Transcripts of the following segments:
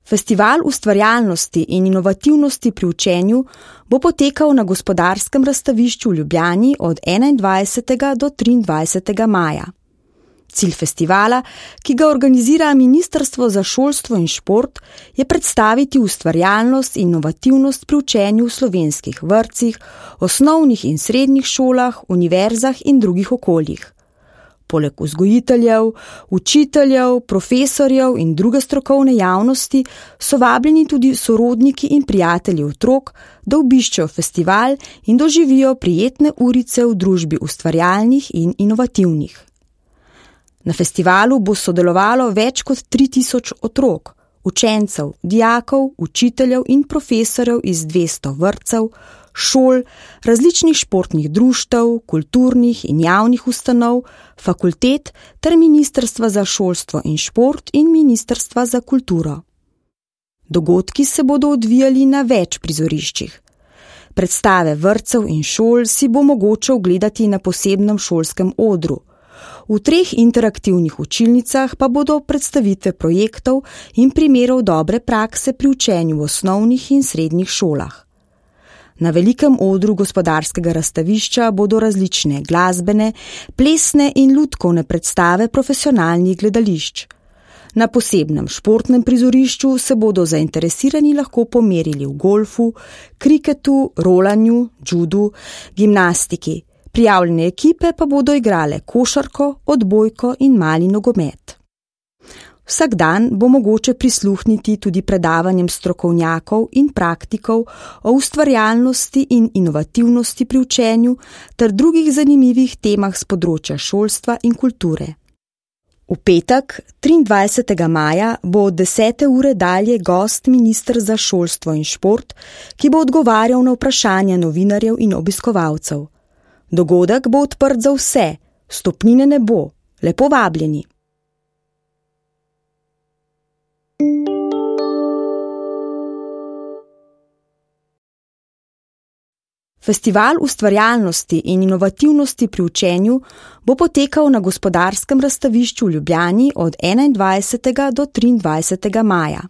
Festival ustvarjalnosti in inovativnosti pri učenju bo potekal na Gospodarskem razstavišču v Ljubljani od 21. do 23. maja. Cilj festivala, ki ga organizira Ministrstvo za šolstvo in šport, je predstaviti ustvarjalnost in inovativnost pri učenju v slovenskih vrtcih, osnovnih in srednjih šolah, univerzah in drugih okoljih. Poleg vzgojiteljev, učiteljev, profesorjev in druge strokovne javnosti so vabljeni tudi sorodniki in prijatelji otrok, da obiščejo festival in doživijo prijetne urice v družbi ustvarjalnih in inovativnih. Na festivalu bo sodelovalo več kot 3000 otrok, učencev, dijakov, učiteljev in profesorjev iz 200 vrtcev, šol, različnih športnih društev, kulturnih in javnih ustanov, fakultet ter Ministrstva za šolstvo in šport in Ministrstva za kulturo. Dogodki se bodo odvijali na več prizoriščih. Predstave vrtcev in šol si bo mogoče ogledati na posebnem šolskem odru. V 3 interaktivnih učilnicah pa bodo predstavitve projektov in primerov dobre prakse pri učenju v osnovnih in srednjih šolah. Na velikem odru Gospodarskega razstavišča bodo različne glasbene, plesne in lutkovne predstave profesionalnih gledališč. Na posebnem športnem prizorišču se bodo zainteresirani lahko pomerili v golfu, kriketu, rolanju, judu, gimnastiki. Prijavljene ekipe pa bodo igrale košarko, odbojko in mali nogomet. Vsak dan bo mogoče prisluhniti tudi predavanjem strokovnjakov in praktikov o ustvarjalnosti in inovativnosti pri učenju ter drugih zanimivih temah z področja šolstva in kulture. V petek, 23. maja, bo od 10. ure dalje gost minister za šolstvo in šport, ki bo odgovarjal na vprašanja novinarjev in obiskovalcev. Dogodek bo odprt za vse, vstopnine ne bo, lepo vabljeni. Festival ustvarjalnosti in inovativnosti pri učenju bo potekal na Gospodarskem razstavišču v Ljubljani od 21. do 23. maja.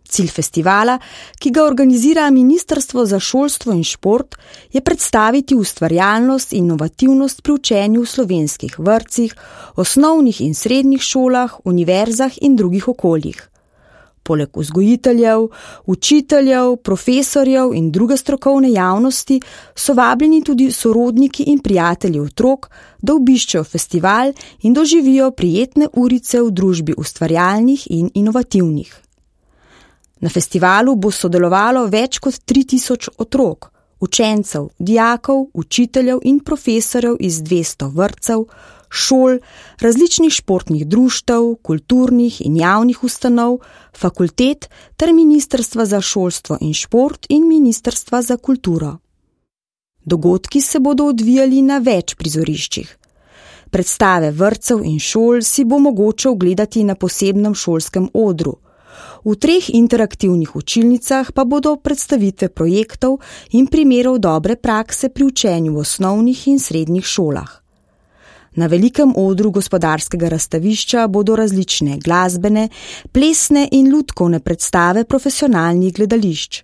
Cilj festivala, ki ga organizira Ministrstvo za šolstvo in šport, je predstaviti ustvarjalnost in inovativnost pri učenju v slovenskih vrtcih, osnovnih in srednjih šolah, univerzah in drugih okoljih. Poleg vzgojiteljev, učiteljev, profesorjev in druge strokovne javnosti so vabljeni tudi sorodniki in prijatelji otrok, da obiščejo festival in doživijo prijetne urice v družbi ustvarjalnih in inovativnih. Na festivalu bo sodelovalo več kot 3000 otrok, učencev, dijakov, učiteljev in profesorjev iz 200 vrtcev, šol, različnih športnih društev, kulturnih in javnih ustanov, fakultet ter Ministrstva za šolstvo in šport in Ministrstva za kulturo. Dogodki se bodo odvijali na več prizoriščih. Predstave vrtcev in šol si bo mogoče ogledati na posebnem šolskem odru. V 3 interaktivnih učilnicah pa bodo predstavitve projektov in primerov dobre prakse pri učenju v osnovnih in srednjih šolah. Na velikem odru Gospodarskega razstavišča bodo različne glasbene, plesne in lutkovne predstave profesionalnih gledališč.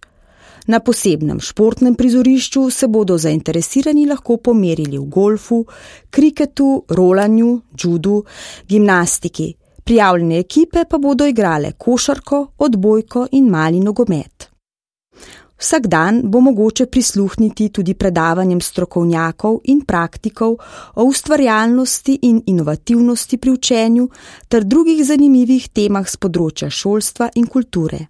Na posebnem športnem prizorišču se bodo zainteresirani lahko pomerili v golfu, kriketu, rolanju, judu, gimnastiki. Prijavljene ekipe pa bodo igrale košarko, odbojko in mali nogomet. Vsak dan bo mogoče prisluhniti tudi predavanjem strokovnjakov in praktikov o ustvarjalnosti in inovativnosti pri učenju ter drugih zanimivih temah z področja šolstva in kulture.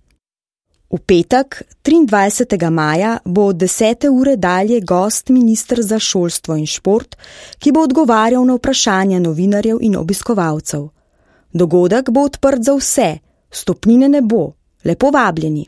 V petek, 23. maja, bo od 10. ure dalje gost minister za šolstvo in šport, ki bo odgovarjal na vprašanja novinarjev in obiskovalcev. Dogodek bo odprt za vse, vstopnine ne bo, lepo vabljeni.